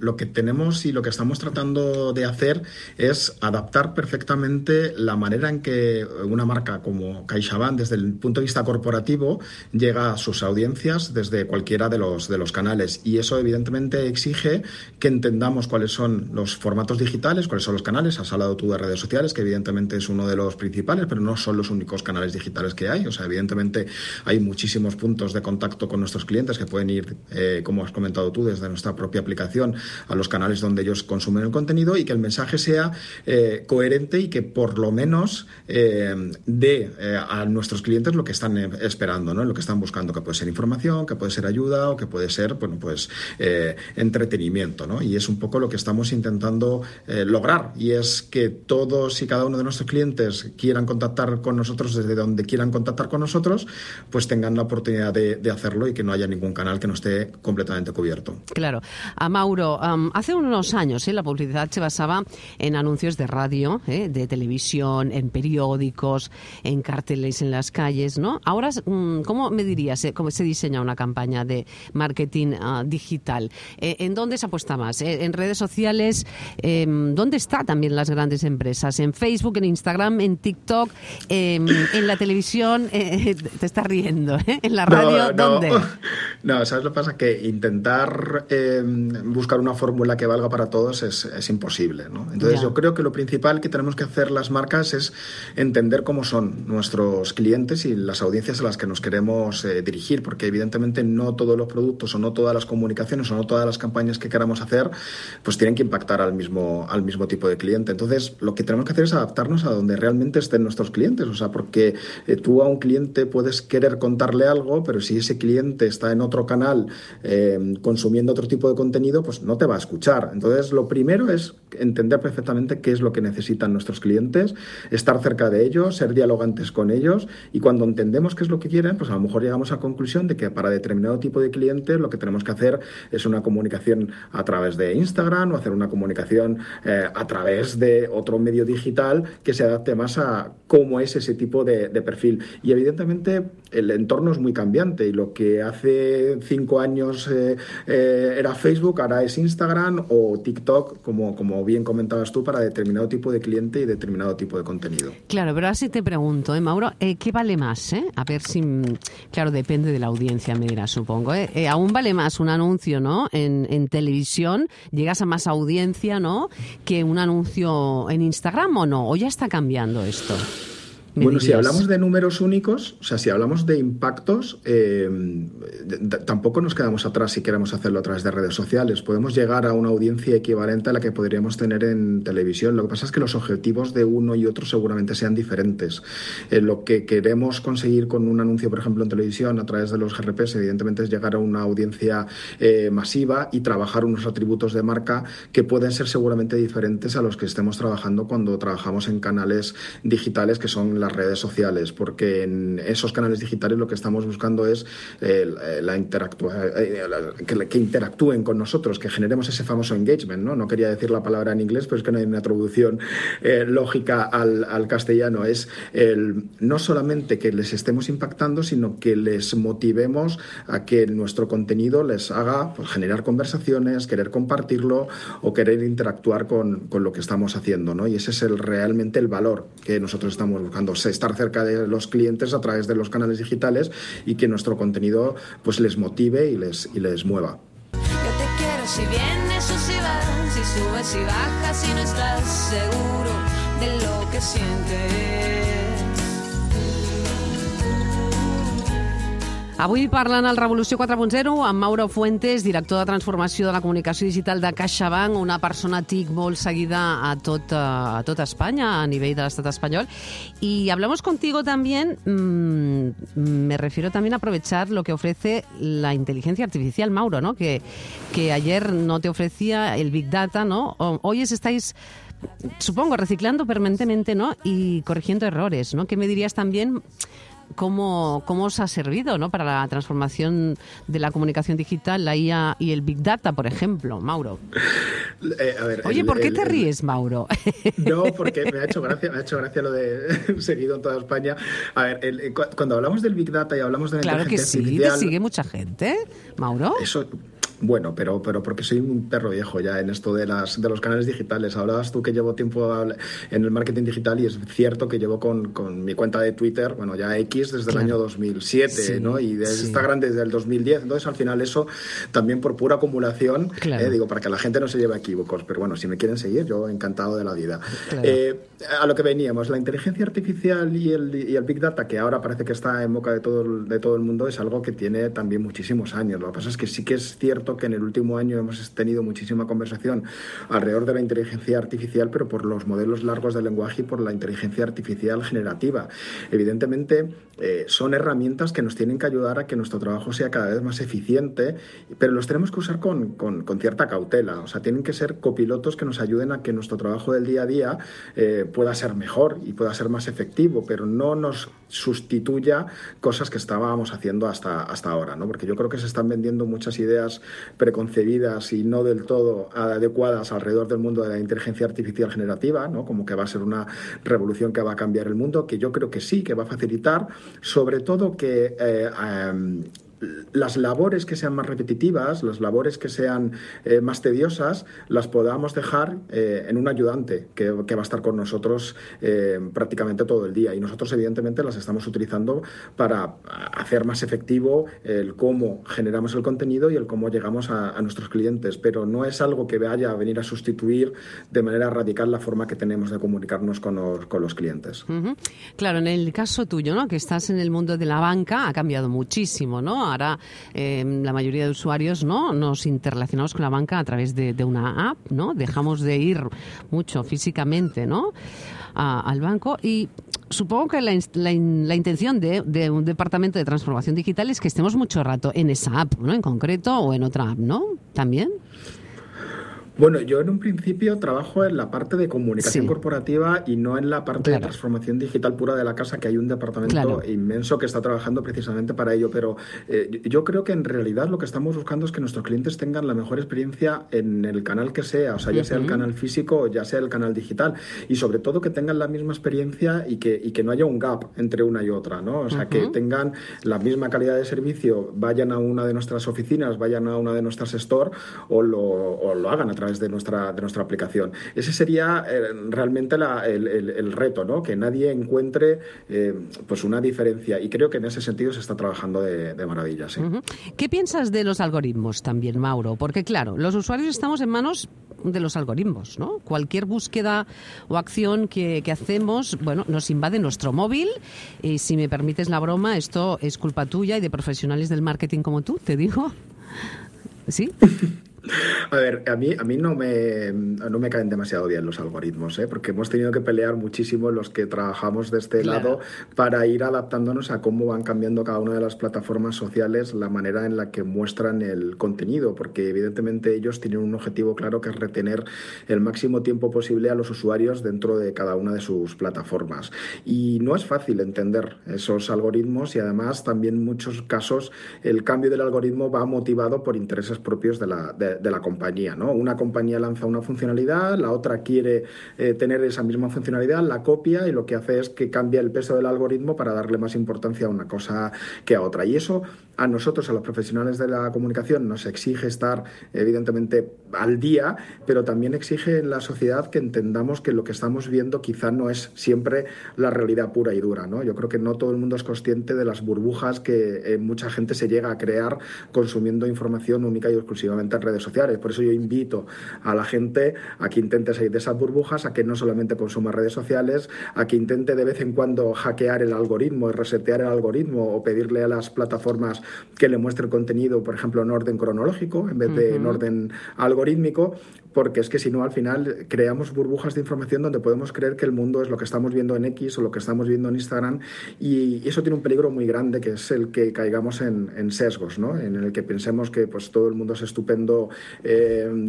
lo que tenemos y lo que estamos tratando de hacer es adaptar perfectamente la manera en que una marca como CaixaBank, desde el punto de vista corporativo, llega a sus audiencias desde cualquiera de los canales. Y eso, evidentemente, exige que entendamos cuáles son los formatos digitales, cuáles son los canales. Has hablado tú de redes sociales, que evidentemente es uno de los principales, pero no son los únicos canales digitales que hay. O sea, evidentemente hay muchísimos puntos de contacto con nuestros clientes que pueden ir, como has comentado tú, desde nuestra propia aplicación a los canales donde ellos consumen el contenido, y que el mensaje sea coherente y que por lo menos dé a nuestros clientes lo que están esperando, ¿no? Lo que están buscando, que puede ser información, que puede ser ayuda o que puede ser, bueno, pues entretenimiento, ¿no? Y es un poco lo que estamos intentando lograr, y es que todos y cada uno de nuestros clientes quieran contactar con nosotros desde donde quieran contactar con nosotros, pues tengan la oportunidad de hacerlo y que no haya ningún canal que no esté completamente cubierto. Claro. Mauro, hace unos años la publicidad se basaba en anuncios de radio, de televisión, en periódicos, en carteles en las calles, ¿no? Ahora, ¿cómo me dirías cómo se diseña una campaña de marketing digital? ¿En dónde se apuesta más? ¿En redes sociales? ¿Dónde están también las grandes empresas? ¿En Facebook, en Instagram, en TikTok, en la televisión? Te estás riendo, ¿eh? ¿En la radio? ¿Dónde? No, ¿sabes lo que pasa? Que intentar buscar una fórmula que valga para todos es imposible, ¿no? Entonces yo creo que lo principal que tenemos que hacer las marcas es entender cómo son nuestros clientes y las audiencias a las que nos queremos dirigir, porque evidentemente no todos los productos o no todas las comunicaciones o no todas las campañas que queramos hacer pues tienen que impactar al mismo tipo de cliente. Entonces lo que tenemos que hacer es adaptarnos a donde realmente estén nuestros clientes, o sea, porque tú a un cliente puedes querer contarle algo, pero si ese cliente está en otro canal consumiendo otro tipo de contenido, pues no te va a escuchar. Entonces lo primero es entender perfectamente qué es lo que necesitan nuestros clientes, estar cerca de ellos, ser dialogantes con ellos, y cuando entendemos qué es lo que quieren, pues a lo mejor llegamos a la conclusión de que para determinado tipo de cliente lo que tenemos que hacer es una comunicación a través de Instagram o hacer una comunicación a través de otro medio digital que se adapte más a cómo es ese tipo de perfil. Y evidentemente el entorno es muy cambiante y lo que hace 5 años era Facebook, ahora es Instagram o TikTok, como bien comentabas tú, para determinado tipo de cliente y determinado tipo de contenido. Claro, pero ahora sí te pregunto, Mauro, ¿qué vale más? A ver si, claro, depende de la audiencia, me dirás, supongo. ¿Aún vale más un anuncio, ¿no? En televisión? ¿Llegas a más audiencia, ¿no? Que un anuncio en Instagram o no? ¿O ya está cambiando esto? Bueno, si hablamos de números únicos, o sea, si hablamos de impactos, tampoco nos quedamos atrás si queremos hacerlo a través de redes sociales. Podemos llegar a una audiencia equivalente a la que podríamos tener en televisión. Lo que pasa es que los objetivos de uno y otro seguramente sean diferentes. Lo que queremos conseguir con un anuncio, por ejemplo, en televisión, a través de los GRPs, evidentemente es llegar a una audiencia masiva y trabajar unos atributos de marca que pueden ser seguramente diferentes a los que estemos trabajando cuando trabajamos en canales digitales, que son las redes sociales, porque en esos canales digitales lo que estamos buscando es que interactúen con nosotros, que generemos ese famoso engagement, ¿no? No quería decir la palabra en inglés, pero es que no hay una traducción lógica al castellano. Es no solamente que les estemos impactando, sino que les motivemos a que nuestro contenido les haga pues, generar conversaciones, querer compartirlo o querer interactuar con lo que estamos haciendo, ¿no? Y ese es realmente el valor que nosotros estamos buscando, estar cerca de los clientes a través de los canales digitales y que nuestro contenido pues les motive y les mueva. Yo te quiero si vienes o si vas, si subes y bajas, si no estás seguro de lo que sientes. Avui parlant al Revolució 4.0 amb Mauro Fuentes, director de transformació de la comunicació digital de CaixaBank, una persona TIC molt seguida a tot España, a nivel de l'estat espanyol. Y hablamos contigo también, me refiero también a aprovechar lo que ofrece la inteligencia artificial, Mauro, ¿no? Que ayer no te ofrecía el Big Data, ¿no? Hoy estáis, supongo, reciclando permanentemente, ¿no? Y corrigiendo errores, ¿no? ¿Qué me dirías también? ¿Cómo os ha servido, ¿no? Para la transformación de la comunicación digital, la IA y el Big Data, por ejemplo, Mauro? A ver, oye, ¿por qué te ríes, Mauro? No, porque me ha hecho gracia lo de seguido en toda España. A ver, cuando hablamos del Big Data y hablamos de la inteligencia artificial... Claro que sí, te sigue mucha gente, Mauro. Eso... Bueno, pero porque soy un perro viejo ya en esto de los canales digitales. Hablabas tú que llevo tiempo en el marketing digital y es cierto que llevo con mi cuenta de Twitter, bueno, ya X desde el año 2007, sí, ¿no? Y de Instagram desde el 2010. Entonces, al final eso también por pura acumulación, digo, para que la gente no se lleve a equívocos. Pero bueno, si me quieren seguir, yo encantado de la vida. Claro. A lo que veníamos, la inteligencia artificial y el Big Data, que ahora parece que está en boca de todo el mundo, es algo que tiene también muchísimos años. Lo que pasa es que sí que es cierto que en el último año hemos tenido muchísima conversación alrededor de la inteligencia artificial, pero por los modelos largos de lenguaje y por la inteligencia artificial generativa. Evidentemente, son herramientas que nos tienen que ayudar a que nuestro trabajo sea cada vez más eficiente, pero los tenemos que usar con cierta cautela. O sea, tienen que ser copilotos que nos ayuden a que nuestro trabajo del día a día pueda ser mejor y pueda ser más efectivo, pero no nos sustituya cosas que estábamos haciendo hasta ahora, ¿no? Porque yo creo que se están vendiendo muchas ideas preconcebidas y no del todo adecuadas alrededor del mundo de la inteligencia artificial generativa, ¿no? Como que va a ser una revolución que va a cambiar el mundo, que yo creo que sí, que va a facilitar, sobre todo que las labores que sean más repetitivas, las labores que sean más tediosas, las podamos dejar en un ayudante que va a estar con nosotros prácticamente todo el día. Y nosotros, evidentemente, las estamos utilizando para hacer más efectivo el cómo generamos el contenido y el cómo llegamos a nuestros clientes. Pero no es algo que vaya a venir a sustituir de manera radical la forma que tenemos de comunicarnos con los clientes. Uh-huh. Claro, en el caso tuyo, ¿no? Que estás en el mundo de la banca, ha cambiado muchísimo, ¿no? Ahora la mayoría de usuarios, ¿no? Nos interrelacionamos con la banca a través de una app, ¿no? Dejamos de ir mucho físicamente, ¿no? Al banco, y supongo que la intención de un departamento de transformación digital es que estemos mucho rato en esa app, ¿no? En concreto, o en otra app, ¿no? ¿También? Bueno, yo en un principio trabajo en la parte de comunicación corporativa y no en la parte de transformación digital pura de la casa, que hay un departamento inmenso que está trabajando precisamente para ello. Pero yo creo que en realidad lo que estamos buscando es que nuestros clientes tengan la mejor experiencia en el canal que sea, o sea, ya sea el canal físico o ya sea el canal digital, y sobre todo que tengan la misma experiencia y que no haya un gap entre una y otra, ¿no? O sea, que tengan la misma calidad de servicio, vayan a una de nuestras oficinas, vayan a una de nuestras stores o lo hagan a través de nuestra aplicación. Ese sería realmente el reto, ¿no? Que nadie encuentre pues una diferencia, y creo que en ese sentido se está trabajando de maravilla, sí. Uh-huh. ¿Qué piensas de los algoritmos también, Mauro? Porque claro, los usuarios estamos en manos de los algoritmos, ¿no? Cualquier búsqueda o acción que hacemos, bueno, nos invade nuestro móvil, y si me permites la broma, esto es culpa tuya y de profesionales del marketing como tú, te digo. ¿Sí? A ver, a mí no me caen demasiado bien los algoritmos, porque hemos tenido que pelear muchísimo los que trabajamos de este lado para ir adaptándonos a cómo van cambiando cada una de las plataformas sociales la manera en la que muestran el contenido, porque evidentemente ellos tienen un objetivo claro, que es retener el máximo tiempo posible a los usuarios dentro de cada una de sus plataformas. Y no es fácil entender esos algoritmos, y además también en muchos casos el cambio del algoritmo va motivado por intereses propios de la compañía, ¿no? Una compañía lanza una funcionalidad, la otra quiere tener esa misma funcionalidad, la copia, y lo que hace es que cambia el peso del algoritmo para darle más importancia a una cosa que a otra. Y eso a nosotros, a los profesionales de la comunicación, nos exige estar evidentemente al día, pero también exige en la sociedad que entendamos que lo que estamos viendo quizá no es siempre la realidad pura y dura, ¿no? Yo creo que no todo el mundo es consciente de las burbujas que mucha gente se llega a crear consumiendo información única y exclusivamente en redes sociales. Por eso yo invito a la gente a que intente salir de esas burbujas, a que no solamente consuma redes sociales, a que intente de vez en cuando hackear el algoritmo y resetear el algoritmo, o pedirle a las plataformas que le muestre el contenido, por ejemplo, en orden cronológico en vez de en orden algorítmico, porque es que si no, al final creamos burbujas de información donde podemos creer que el mundo es lo que estamos viendo en X o lo que estamos viendo en Instagram, y eso tiene un peligro muy grande, que es el que caigamos en sesgos, ¿no? En el que pensemos que pues todo el mundo es estupendo,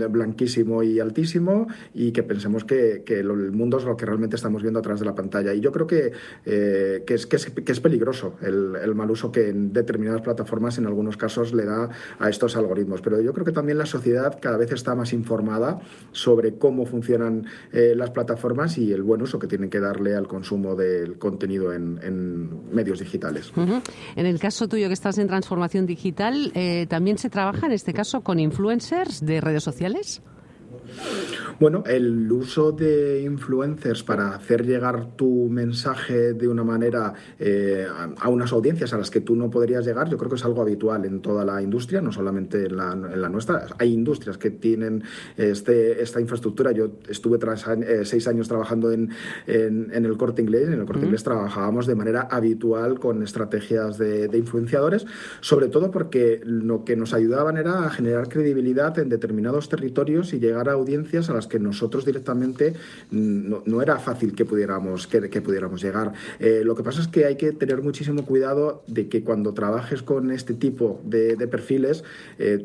blanquísimo y altísimo, y que pensemos que el mundo es lo que realmente estamos viendo a través de la pantalla. Y yo creo que es peligroso el mal uso que en determinadas plataformas en algunos casos le da a estos algoritmos. Pero yo creo que también la sociedad cada vez está más informada sobre cómo funcionan las plataformas y el buen uso que tienen que darle al consumo del contenido en medios digitales. Uh-huh. En el caso tuyo, que estás en transformación digital, ¿también se trabaja en este caso con influencers de redes sociales? Bueno, el uso de influencers para hacer llegar tu mensaje de una manera a unas audiencias a las que tú no podrías llegar, yo creo que es algo habitual en toda la industria, no solamente en la nuestra. Hay industrias que tienen esta infraestructura. Yo estuve 6 años trabajando en el Corte Inglés. En el Corte Inglés trabajábamos de manera habitual con estrategias de influenciadores, sobre todo porque lo que nos ayudaban era a generar credibilidad en determinados territorios y llegar a audiencias a las que nosotros directamente no era fácil que pudiéramos llegar. Lo que pasa es que hay que tener muchísimo cuidado de que cuando trabajes con este tipo de perfiles,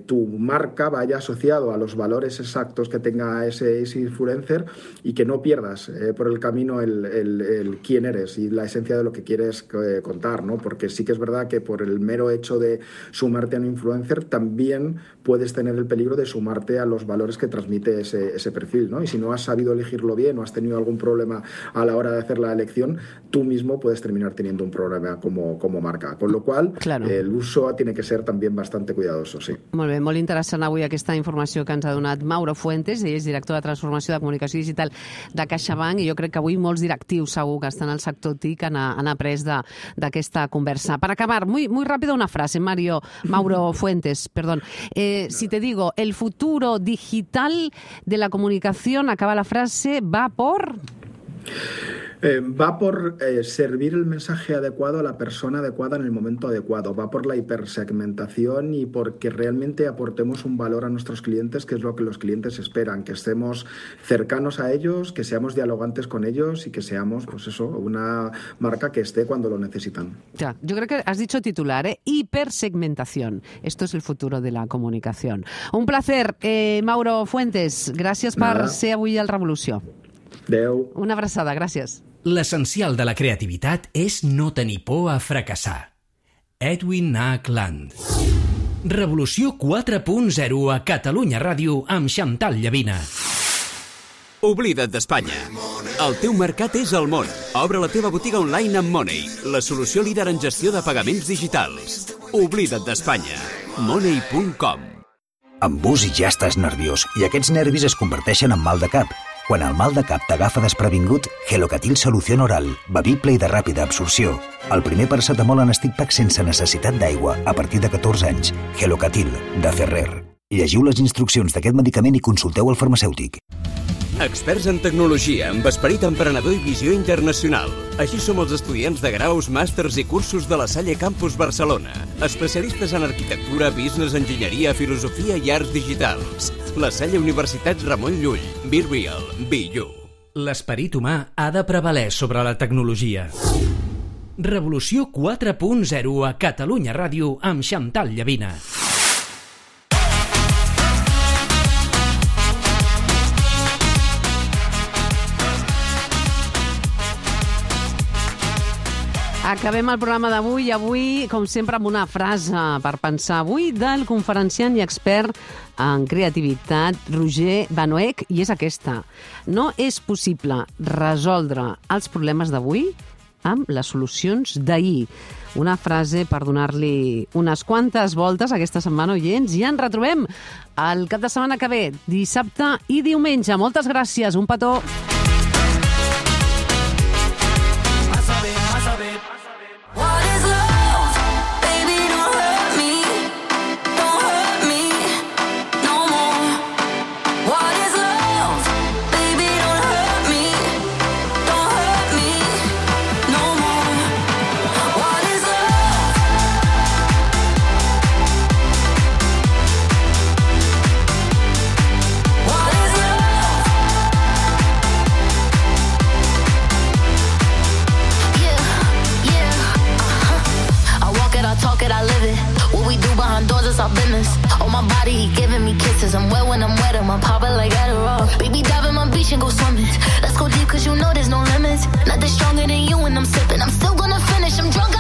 tu marca vaya asociado a los valores exactos que tenga ese influencer y que no pierdas por el camino el quién eres y la esencia de lo que quieres contar, ¿no? Porque sí que es verdad que por el mero hecho de sumarte a un influencer también puedes tener el peligro de sumarte a los valores que transmite ese perfil, ¿no? Y si no has sabido elegirlo bien o has tenido algún problema a la hora de hacer la elección, tú mismo puedes terminar teniendo un problema como marca. Con lo cual, el uso tiene que ser también bastante cuidadoso, sí. Molt bé, molt interessant avui aquesta informació que ens ha donat Mauro Fuentes, ell és director de Transformació de Comunicació Digital de CaixaBank, i jo crec que avui molts directius segur que estan al sector TIC han après d'aquesta conversa. Per acabar, muy rápido una frase, Mauro Fuentes, perdón. Si te digo, el futuro digital de la comunicación, acaba la frase, va por... Va por servir el mensaje adecuado a la persona adecuada en el momento adecuado. Va por la hipersegmentación y porque realmente aportemos un valor a nuestros clientes, que es lo que los clientes esperan, que estemos cercanos a ellos, que seamos dialogantes con ellos y que seamos, pues eso, una marca que esté cuando lo necesitan. Ya, yo creo que has dicho titular, hipersegmentación. Esto es el futuro de la comunicación. Un placer, Mauro Fuentes. Gràcies per ser avui al Revolució. Adéu. Una abraçada, gràcies. L'essencial de la creativitat és no tenir por a fracassar. Edwin H. Land. Revolució 4.0 a Catalunya Ràdio amb Xantal Llavina. Oblida't d'Espanya. El teu mercat és el món. Obre la teva botiga online amb Money, la solució líder en gestió de pagaments digitals. Oblida't d'Espanya. Money.com. Amb bus ja estàs nerviós i aquests nervis es converteixen en mal de cap. Quan el mal de cap t'agafa desprevingut, Gelocatil Solució Oral, bevible i de ràpida absorció. El primer paracetamol en stick pack sense necessitat d'aigua a partir de 14 anys. Gelocatil, de Ferrer. Llegiu les instruccions d'aquest medicament i consulteu el farmacèutic. Experts en tecnologia, amb esperit emprenedor i visió internacional. Així som els estudiants de graus, màsters i cursos de la Salle Campus Barcelona. Especialistes en arquitectura, business, enginyeria, filosofia i arts digitals. La Salle Universitat Ramon Llull. Be real, be you. L'esperit humà ha de prevaler sobre la tecnologia. Revolució 4.0 a Catalunya Ràdio amb Xantal Llavina. Acabem el programa d'avui, com sempre, amb una frase per pensar avui del conferenciant i expert en creativitat Roger Banoech, i és aquesta. No és possible resoldre els problemes d'avui amb les solucions d'ahir. Una frase per donar-li unes quantes voltes aquesta setmana, oients, i ens retrobem el cap de setmana que ve, dissabte i diumenge. Moltes gràcies, un petó. Our business. On my body, he giving me kisses. I'm wet when I'm wet, I'm popping like Adderall. Baby, dive in my beach and go swimming. Let's go deep, cause you know there's no limits. Nothing stronger than you when I'm sipping. I'm still gonna finish, I'm drunk,